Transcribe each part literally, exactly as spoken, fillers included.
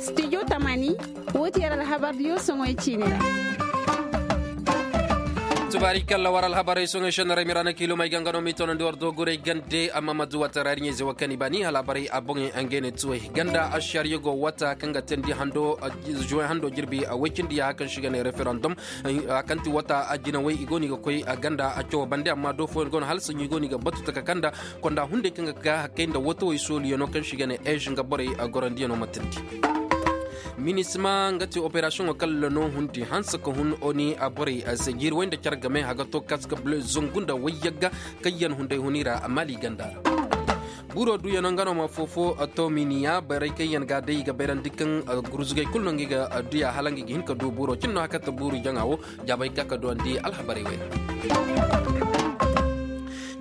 Studio tamani, woo ti yer alhabardiyo soŋoy ciini ra. Tubaari kalla war alhabarey soŋoy sennarey miraana kiilomey ga nga no m'i toonandi war doogurey gande amma ma du wata ra yer ɲayze wo kaŋ i baani alhabarey a boŋey ngey ne tuwey ganda ašariya go wata kaŋ ga teendi hando juwey hando jirbi woy cindi yaaha kaŋ se i ga ne referandom. Kaŋ ti wata jinawey i go no i ga koy ganda cawo bande amma do fooyaŋ go no hala saɲɲo i go no i ga batu taka kaŋ nda konda hunday kaŋ ga ka hakkey nda watawey sooliyaŋo kaŋ se i ga ne eez nga borey gorandiyaŋo ma teendi. Minisma nga ti operasiyoŋo kaŋ ra no hundi hanse ka hun oni borey se jiiri way nda care game haga to kaska bule zangu nda wayyagga kaŋ yaŋ hunday huni ra maali ganda ra. Buuro duyaŋo nga no ma foofo tominiya borey kaŋ yaŋ ga a day i ga bayrandi kaŋ gurzugey kulu no nga i ga duya hala nga i ga hin ka du buuro cine no haka ta buuru jaŋa wo. Jaabay ga ka duwandi alhabarey wey ra.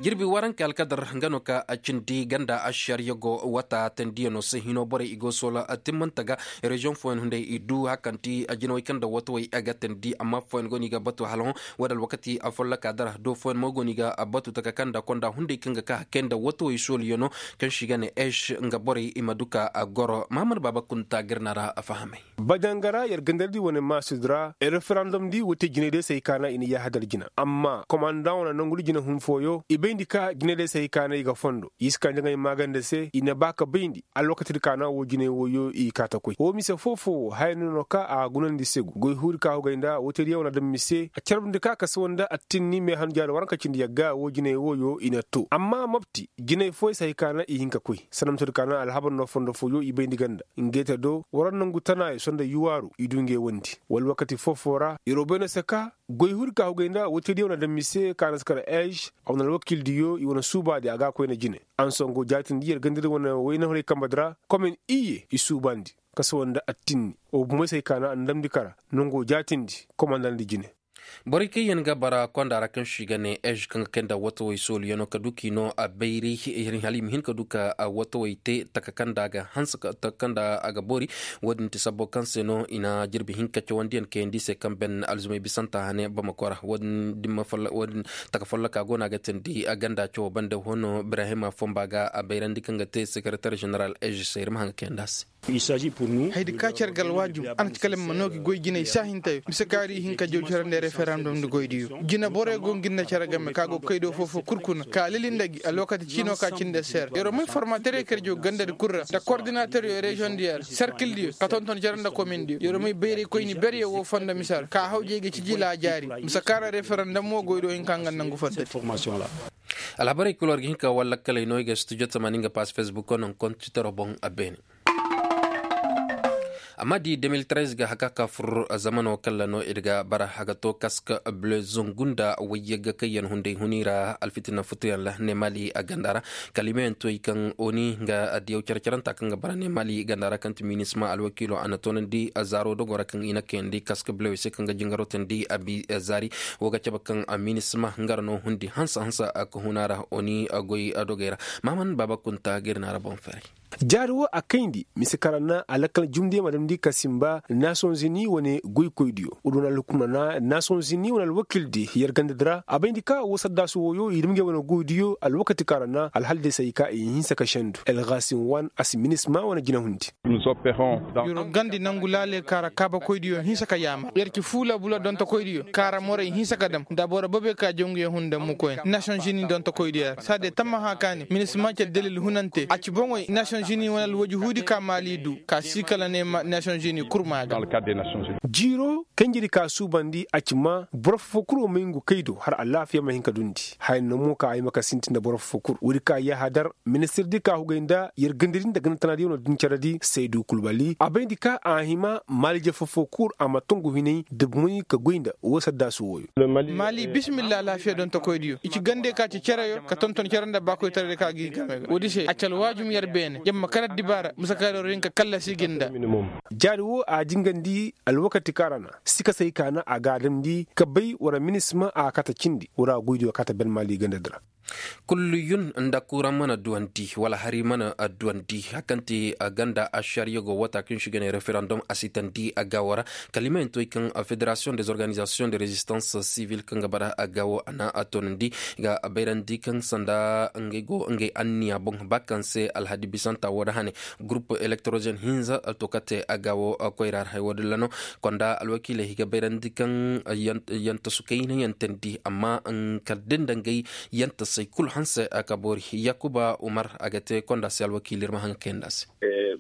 Jirbi warankey alkadar nga no ka a cindi ganda ašariya go wata tendiyaŋo se hino borey i go soola timmante ga. Reziyoŋ fooyaŋ hunday i du hakanti jinawey kaŋ nda watawey a ga tendi amma fooyaŋ go no i ga batu hala hõ. Wo- din alwakati folloka dara do fooyaŋ mo go no i ga batu taka kaŋ nda konda hunday kaŋ ga ka hakkey nda watawey sooliyaŋo kaŋ se i ga ne eeš nga borey i ma du ka goro mahamad baaba kunta ga ir na ra fahamay. Bajanga ra yer gandardi wane maasudi ra referandom di woy te jinay day se hay ka na i na yahadar jina amma komandaŋ wane nongu di jina hun fooyo i bayndi ka jinay day se hay ka na i ga fondo i si ka jaŋay maaganda se i na ba ka bayndi alwakati di ka na wo jinay wooyo i kaa ta koy wo mise foo-foo wo haya no no ka a gunandi segu goy huuri ka hugay nda woy te diyaŋ wane daŋ mise a carbandi ka kasa wanda attinni meehan jaari waranka cindi yagga wo jinay wooyo i na to amma mopti jinay fooyo se hay ka na i hin ka koy sanda mise di ka na alhabar no fondo fooyo i bayndi ganda. Ngey te do war nangu tanaayo sonda yuwaaru i du ngey wondi wala wakati foo-foo ra yeroo bay no se ka goy huri ka hugay nda woy te diyaŋ wane daŋ mise ka na si kar eez a wane alwakildiyo i wane suubaadi a ga a koyna jine. Ansongo jaatindi yer gandadi wane wayna huray kambe di ra komin iyye i suubandi ka sawa nda attinni. Wo bomey se hay ka na a na damndi kara nongo jaatindi komandandi jine. Borey kaŋ yaŋ ga bara konda ra kaŋ se i ga ne eez kaŋ ga kay nda watawey sooliyaŋo ka du k'i no a bayri hala i ma hin ka du ka watawey te taka kaŋ nda a ga hanse taka kaŋ nda a ga boori. Wo- din ti sabbo kaŋ se no i na jirbi hinka cawandiyaŋ kayandi i se kaŋ ben alzumey bisanta hane bamako ra wo- din taka folloka go no a ga teendi ganda cawo bande hono ibrahima fomba ga a bayrandi kaŋ ga te sekereter ženeral eez se ir ma haŋ ga kayandi a se. Haydi ka ci yar ga alwaajum a na ci kala ma noogi goy jinay saahintayo mise kaŋ ir ihinka jaw carandi referandom nda goydiyo jina borey go ngi nda care game ka go kaydo foofo kul kuna ka lili nda gi alwakati ciino ka cindi ser yeroo may formateryo kaŋ ir jaw gandadi kul ra nda kordinateryo reziyoŋdiyo ra serkildiyo ka tonton care nda komindiyo yeroo may bayray koyni beryo woo fondo mise ra ka hawjey ga ciji laajaari mise kaŋ ra referandom woo goydiyo hinka nga nangu fondo di. Alhabarey kul war ga hin ka war lakkaley no i ga studio tamaani nga pass facebook no nkontitero boŋ a beene. Amma di deux mille treize ga haka ka fur zamano kalla no ir ga bara haga to kaska bleu zungunda wayyaga kayyan hunday hunira alfitina futuyan la ne mali a gandara. Kalimeyan toy kan oni nga adiyaw carcaranta kan ga bara ne mali gandara kan ti minisma alwakilo ana tonandi zaro dogora kan ina kayandi kaska bleu se kan ga jingaro tandi abi zari. Woga caba kan minisma ngara no hundi hansa hansa ka hunara oni goy dogera. Maman baba kunta girnara bon fere. Jaari wo a kayndi mise kaŋ ra na a lakkal jumdiyaŋ ma damndi ka simba nasonzini wane goykoydiyo wo du na alhukumna na nasonzini wane alwakildi yer gandadi ra a bayndi ka wo saddaasu wooyo i dam ngey wane goydiyo alwakati kaŋ ra na alhaldey se ay ka i hinsa ka sendu elgasim wan a si minisma wane jinahundi. Yer gandi nangu laaley kaŋ ra kaabakoydiyo hinsa ka yaamar yer ci fuula bula dontokoydiyo kaŋ ra morey hinsa ka dam nda boro boobey ka jaw nguyaŋ hun dam mukoyna nasonzini dontokoydiyo ra saadiya tammaha ka ne minisma ce dalil hunante a ci boŋey nasonzini wane alwaji huudi ka maali du ka si kala ne nasonzini kurma ga. Jiiro kanjedi ka suubandi a ci ma boro fofo kul wo may ngu kay do hala alaafiya ma hin ka dundi haya no mo ka ay ma ka sinti nda boro fofo kul woodi ka yahadar ministirdi ka hugay nda yer gandadi nda ganda tanadiyaŋo din caradi saydu kulbali a bayndi ka a hima maali jefo fo kul a ma tongu hinay da bumay ka goy nda woo saddaasu wooyo. Maali bisimilla alaafiya dontokoydiyo i ci gandey ka ci cereyo ka tonton cere nda baakoytaray ka gi game ga woodi se a ci alwaajum yer beene yer ma kala dibaara mise kaŋ yer war hin ka kallasi gi nda. Jaari woo a jingandi alwakati kaŋ ra na sikasey ka na a ga a damndi ka bay war minisma a kaata cindi war a goydiyo kaata ben maali gandadi ra. Kulliyun nda kuran mana duwandi wala hari mana duwandi hakante ganda ashariyago wata kin shigane referendum asitandi gawo ra. Kalimayanto kaŋ federation des organisations de resistance civile kaŋ ga bara gawo ana tonandi ga bayrandi kaŋ sanda ngey go ngey anniya boŋ ba kaŋ se alhadi bisanta wo da hane. Groupe electrogène hinza tokate gawo koyra ra hay wo dilla no. Konda alwakiiley ga bayrandi kaŋ yanta su kayna yantandi amma kala din da ngey yanta say kulu hanse ka boori. Yakuba umar a ga te konda se alwakiili ir ma haŋ kayanda se.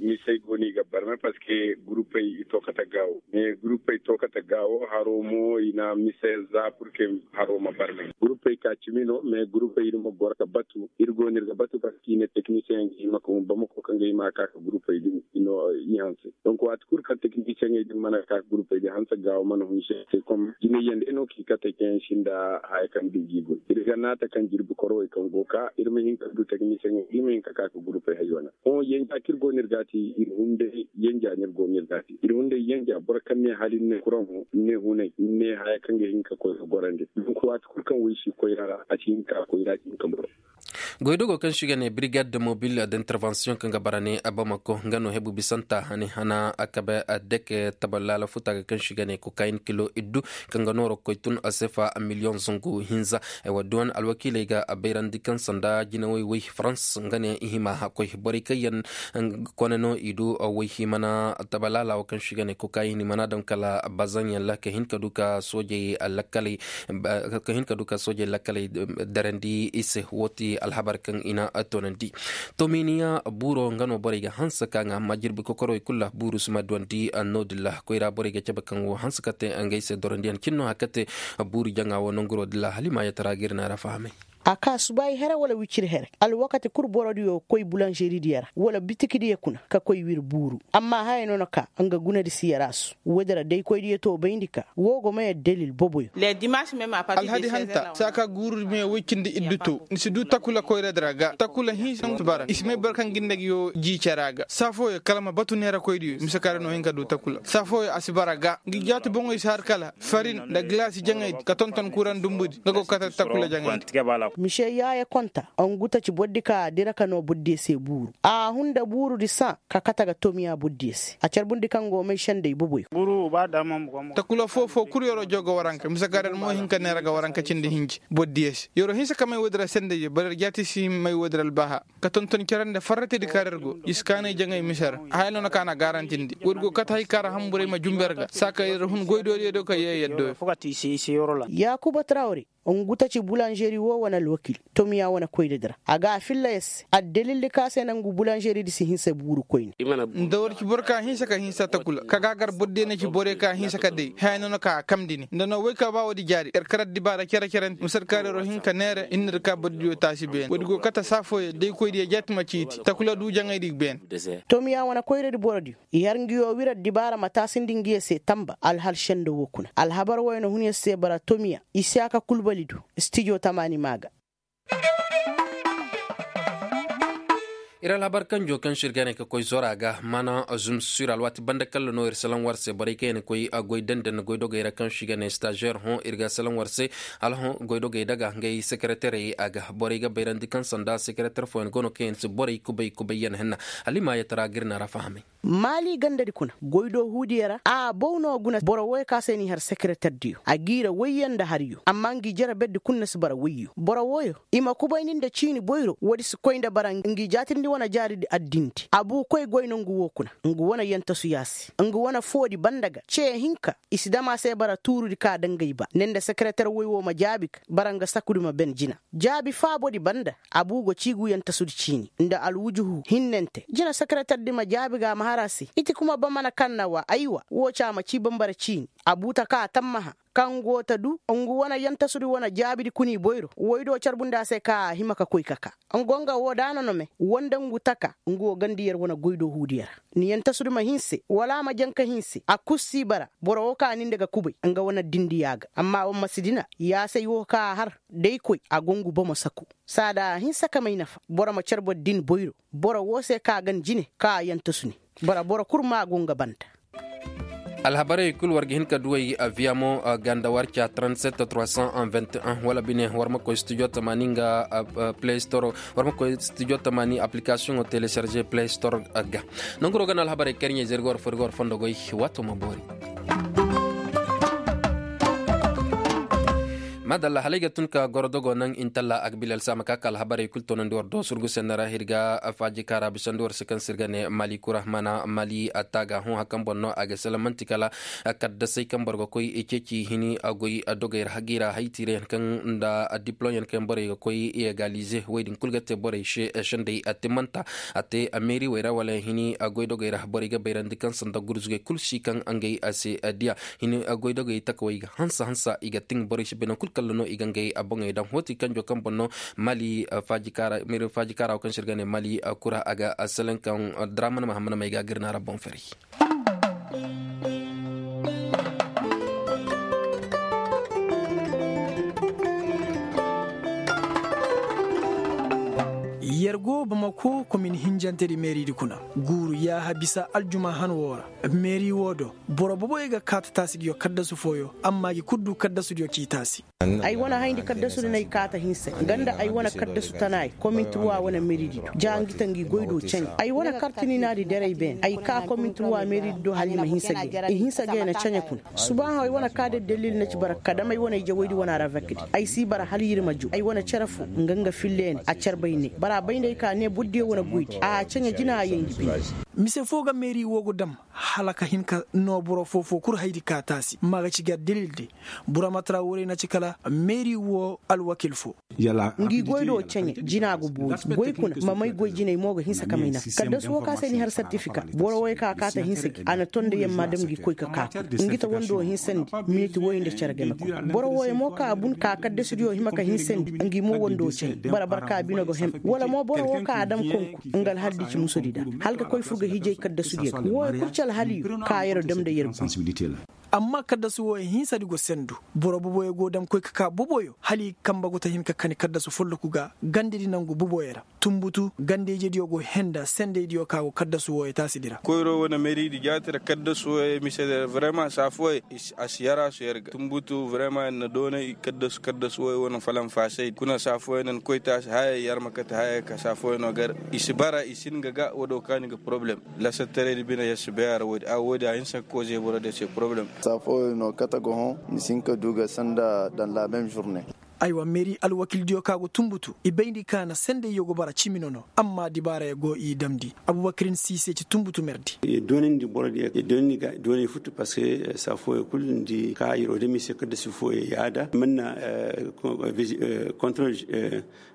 Misey go no i ga barme parceque gurupey i to kate gaawo mais gurupey to kate gaawo haro mo i na mise za purke haro ma barme gurupey ka cimi no mais gurupey ir ma boro ka batu ir go no ir ga batu parceque i ne teknisiyeŋ ga hima ka hun bamako kaŋ ga hima ka ka gurupey din i no i hanse. Donc waati kulu kaŋ teknisiyeŋey din mana ka ka gurupey din hanse gaawo mana hun se se kom jinayyaŋ day no kaŋ i kate kaŋ yaŋ sinda haya kaŋ bindi i goy ir ga naata kaŋ jirbi korowey kaŋ go ka ir ma hin ka du teknisiyeŋey ir ma hin ka ka ka gurupey hay wane. Hõ yenja kaŋ ir go no ir ga a te ir hunday yenja no ir go no ir ga a te ir hunday yenja boro kaŋ ne hala ir ne kuraŋ hõ ir ne hunay ir ne haya kaŋ ga hin ka koy ga gorandi. Donc waati kulu kaŋ wey si koyra ra a si hin ka koyra a si hin ka boro. Goydogo kaŋ se i ga ne brigade de mobile d'intervention kaŋ ga bara ne bamako nga no hebu bisanta hane hana kabe deke tabal laala futa ga kaŋ se i ga ne kokayin kilo iddu kaŋ ga nooro ga koy tun sefa miliyoŋ zangu hinza. Ay wa duwan alwakiiley ga bayrandi kaŋ sanda jinawey wey farans nga ne i hima hakkoy borey kaŋ yaŋ kone no i du wey himana tabal laala wo kaŋ se i ga ne kokayin i mana daŋ kala bazaŋ yaŋ ra ka hin ka du ka soojey lakkaley ka hin ka du ka soojey lakkaley darandi i se wo ti alhabar kaŋ i na toonandi. Tominiya buuro nga no borey ga hanse ka ŋa amma jirbi kokorowey kulu ra buuru si ma duwandi. No- din ra koyra borey ga cabe kaŋ wo hanse ka te ngey se dorandiyaŋ cin no hari ka te buuru jaŋa wo nanguro din ra hala i ma yatara ga ir na ra fahamay. A ka subaayi here wala wiciri here alwakati kul borodiyo ga koy bulanžeridiyo ra wala bitikidiyo kuna ka koy wir buuru. Amma haya no na ka nga gunadi si yaraasu woodi ra daykoydiyo to bayndi ka woo go may addalil boboyo. Alhadi hanta saa ka guuru me woy cindi iddu to ni si du takula koyradi ra ga takula hinsa si bara i si may boro kaŋ ga nda nga yoo jii cara ga saa fooyo kala ma batu neerakoydiyo mise kaŋ ra no hin ka du takula saa fooyo a si bara ga nga jaati boŋoy si har kala farin nda gilaasi jaŋaydi ka tonton kuran dumbudi nga go ga kate takula jaŋaydi. Mise yaaya konta ngu taci bordi ka a dira ka noo bordiyo se buuru a hun nda buurudi sãa ka kate ga tomiya bordiyo se a carbundi kaŋ go may sendey boboyo. Takula foo foo kul yer'o joo ga waranka mise kaŋ ra mo hin ka neera ga waranka cindi hinji bordiyo se yer'o hinsa ka may woodi ra sendey boro yer jaati si may woodi ra albaaha ka tonton cere nda farratidi kaŋ ra ir go i si kaanay jaŋay mise ra. Haya no na ka na gaarantindi woodi go kate hay kaŋ ra hamburay ma jumber ga saa ka ir hun goydoodiyo do ka yee yaddoyo. Yaakuba tarawre ngu taci bulanžeri woo wane alwakiil tomiya wane koyradi ra a ga a filla yer se addalildi kaŋ a se na ngu bulanžeridi si hinsa buuru koyne. Nda war ci boro ka hinsa ka hinsa takula ka ga a gar bordiyo na ci borey ka hinsa ka day haya no na ka a kamndi ni nda no woy ka ba woodi jaari yer karaddi baara cere-cere nti mise ra kaŋ ra yer'o hin ka neere ir na ir ka bordiyo taasi beene woodi go kate saa fooyo daykoydiyo jaati ma ciiti takula du jaŋaydi ga beene. Tomiya wane koyradi borodiyo i har nga yoo wira dibaara ma taasindi nga yer se tamba alhal sendo woo kuna alhabar wooyo na hun yer se bara tomiya i si a ka kulbali do stijo tamaani maa ga. Ir alhabar kanjo kaŋ se ir ga ne ka koy zora ga mana zumsir alwaati banda kalla no ir salaŋ war se borey kaŋ yaŋ na koy goy dandan goydogey ra kaŋ se i ga ne stažer hõ ir ga salaŋ war se hala hõ goydogey daga ngey sekereterey a ga borey ga bayrandi kaŋ sanda sekereter fooyaŋ go no kaŋ yaŋ si borey kubay kubay yaŋ henna. Hala i ma yatara ga ir na ra fahamay. Maali gandadi kuna goy do huudiyo ra a bow no guna boro wooyo ka se n'i har sekereterdiyo a g'i ra woyyo nda hariyo amma ngi jere berdi kul na si bara woyyo boro wooyo i ma kubayndi nda ciini boyro woodi si koy nda bara ngi jaatindi wane jaaridi addindi a buu koy goy nongu woo kuna ngu wane yantasu yaasi ngu wane foodi banda ga ce hinka i si dam a se bara tuurudi ka dangay ba ne nda sekereter woy woo ma jaabi ka bara nga sakudi ma ben jina jaabi faabodi banda a buu go ciigu yantasudi ciini nda alwujuhu hinnante jina sekereterdi ma jaabi ga a ma har a se iti kuma ba mana kaŋ na wa aywa woo ci a ma cii bambara ciini a buu ta ka a tammaha kaŋ go ta du ngu wane yantasudi wane jaabidi kuna i boyro woy do carbundi a se ka a hima ka koy ka ka ngu nga woo da a na no me woo nda ngu taka ngu wo gandi yer wane goy do huudiyo ra ni yantasudi ma hinse wala a ma jaŋ ka hinse a kul si bara boro woo ka ni nda ga kubay nga wane dindiya ga amma wa ma si dina yaasay woo ka a har day koy a go ngu bomo saku saada a hinsa ka may nafa boro ma car boro din boyro boro woo se ka a gan jine ka a yantasu ni bara boro kul ma a go nga banda. Alhabarey kul war ga hin ka duwey viyamo ganda warca trente-sept trois cent vingt-et-un wala bine war ma koy studio tamaani nga play store war ma koy studio tamaani application o telecharger play store ga. Nanguro ga na alhabarey karɲey zirga war fo irga war fondo goy. Waato ma boori. Madalla halay ga tun ka goro dogo naŋ intalla agbilel sama ka ka alhabarey kul toonandi war do surgu sennara hirga faaji kaara bisandi war se kaŋ se ir ga ne mali kura mana mali attaaga hõ hakan boŋ no a ga salamanti kala kaddasey kaŋ boro ga koy ceeci hini goy dogey ra hagiira haytiirayaŋ kaŋ nda diplomyaŋ kaŋ borey ga koy egalize wey din kul ga te borey se sendey attimanta a te meeri wey ra wala hini goy dogey ra borey ga bayrandi kaŋ sanda gurzugey kul si kaŋ ngey a se diya hini goydogey takawey ga hansa hansa i ga tin borey si bay naŋ kul kalla no i ga ngey boŋey daŋ hoti kanjo kaŋ boŋ no mali faaji kaara wo kaŋ se ir ga ne mali kura a ga selen kaŋ draman mahammad may ga gir na ra boŋ fari. Yer go bamako komin hinjantedi meeridi kuna guuru yaaha bisa aljuma han woo ra. Meeri woo do boro boboyo ga kaata taasi ngi yo kaddasu fooyo amma ngi kul du kaddasudiyo k'i taasi. Ay wane hayndi kaddasudi no ay kaata hinsa nga nda ay wane kaddasu tanaay kominti wa wane meeridi ja ngi ta ngi goy do caɲe ay wane kartini naadi derey beene ay kaa kominti wa meeridi do hala i ma hinsa ga i hinsa ga i na caɲe kuna. Subaahaw ay wane kaa da dalil na ci bara ka dam ay wane ijawaydi wane aravekdi ay si bara hala yir ma ju ay wane cere fo nga nga filleene a carbay ne bara bay nda ay ka ne bordiyo wane goydi a caɲe jina a yay ngi bine. Mise foo ga meeri woo go dam hala ka hin ka noo boro foo-foo kul haydi ka taasi ma ga ci gar dalil de. Bura ma tara woo ra ay na ci kala meeri woo alwakil foo. Ngi goy do caɲe jina go boori goy kuna ma may goy jinay mo ga hinsa ka may nafa kaddasu wo ka se ni har sertifika boro woy ka kaata hinsa gi a na tondo yamma dam ngi koy ka kaata ngi ta wando hinsandi miniti woy nda cere game kuna boro woy mo ka bun ka kaddasudiyo hima ka hinsandi ngi mo wando caɲe bara bara ka bino go hem wala mo boro wo ka a dam konku nga alhaldi ci musudi da hala ka koy fur ga hijay kaddasudiyo ga woy kul ci alhaliyo ka yero dam nda yer gu. Amma kaddasu wooyo hinsadi go sendu boro boboyo go dam koy ka ka boboyo hala i ga kamba go ta hin ka kani kaddasu folloku ga gandedi nangu boboyo ra. Tunbutu gandeyjediyo go henda sendeydiyo ka go kaddasu wooyo taasidi ra. Koyro wane meridi jaati ra kaddasu wooyo mise de ra vrema saa fooyo a si yara su yar ga tunbutu vrema yer na doonay kaddasu kaddasu wooyo wane falanfaasay kuna saa fooyo nan koy taasi haya yar ma kate haya ka saa fooyo no gar i si bara i si hin ga ga woo do kaani ga poroblem. Lasattaray di bine yer si bay a ra woodi a woodi a hinsa ga koozey boro de se poroblem. Saa fooyo no kate ga hõ ni si hin ka du ga sanda dan la meme journe. Aywa meeri alwakildiyo ka go tunbutu i bayndi ka na sendayyo go bara cimi nono amma dibaarayo go i damndi. Abubakirin siise ci tunbutu merdi. Doonandi borodiyo doonandi ga doonay futu parceque saa fooyo kul nda ka yeroo dami se kaddasi fooyo yaada manna kontrol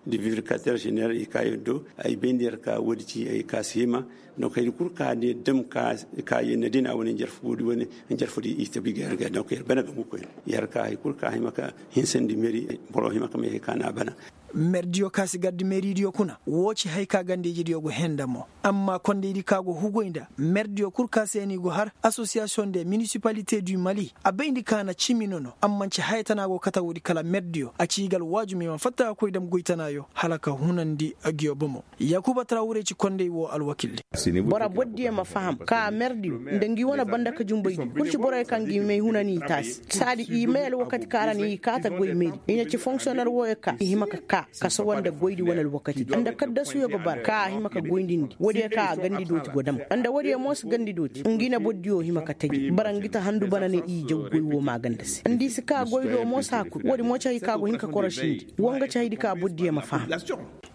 de vivricateur général i ka yer do ay bayndi yer ka woodi ci ay ka si hima. Donc hay kul ka ne dam ka yer na dina wane njarfo di wane njarfo di i tabi ga yer ga donc yer bana ga mukoy yer ka hay kul ka hima ka hinsandi meri boro hima ka may hay ka na bana. Merdiyo ka si gardi meridiyo kuna woo ci hay ka gandeyjidiyo go henda mo. Amma kondeydi ka go hugoy nda merdiyo kul ka se ni go har association de municipalité du mali a bayndi ka na cimi nono amma nci haya tana go kate woodi kala merdiyo a ci i ga alwaajum i ma fatta ga koy dam goy tanaayo hala ka hunandi. Ngiyo bomo yaakuba tarawure ci kondey woo alwakildi. Boro bordiyo ma faham ka merdiyo nda ngi wane banda ka jumbaydiyo kul ci boroyo ka ngi may hunani i taasi saadi i may alwakati ka ra ni i kaata goy meri i na ci fonksiyonel wooyo ka i hima ka kaa ka sawa nda goydi wane alwakati nda kaddasuyo ga bara ka a hima ka goydindi woodiyo ka a gandi dooti go dam nda woodiyo mo si gandi dooti ngi na bordiyo hima ka taji bara ngi ta handu bana ne i jaw goy woo maaganda se nda i si kaa goy do mo saa kul woodi mo ci hay ka go hin ka korosindi woo nga ci haydi ka bordiyo ma faham.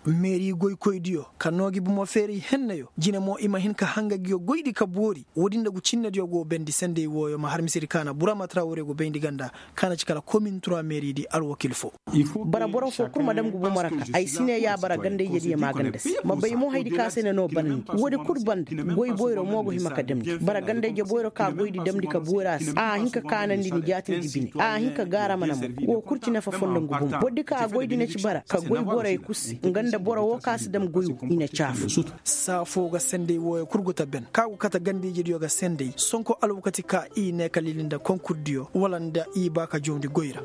Meeri goykoydiyo ka noo gi bomo feeray hennayo jine mo i ma hin ka hanga ngiyo goydi ka boori woodi nda gu cinnediyo go bendi sendey wooyo ma har misedi ka na burama tarawure go bayndi ganda ka na ci kala komin tura meeridi alwakil foo. Bara boro foo kul ma dam ngu bomo ra ka ay si ne ya bara gandayjediyo maaganda se ma bay mo haydi ka se na noo banandi woodi kul banda goy boyro mo go hima ka damndi bara gandayje boyro ka goydi damndi ka boori a se a hin ka kaanandi ni jaatindi bine a hin ka gaara mana mo woo kul ci nafa fondo ngu bomo bordi ka goydi na ci bara ka goy borey kul se nga nda boro woo ka si dam goy woo i na caafu. Saa foo ga sendey wooyo kul gu ta ben ka gu kate gandayjediyo ga sendey sonko alwakati ka i ne ka lili nda konkurdiyo wala nda i ba ka jawndi goy ra.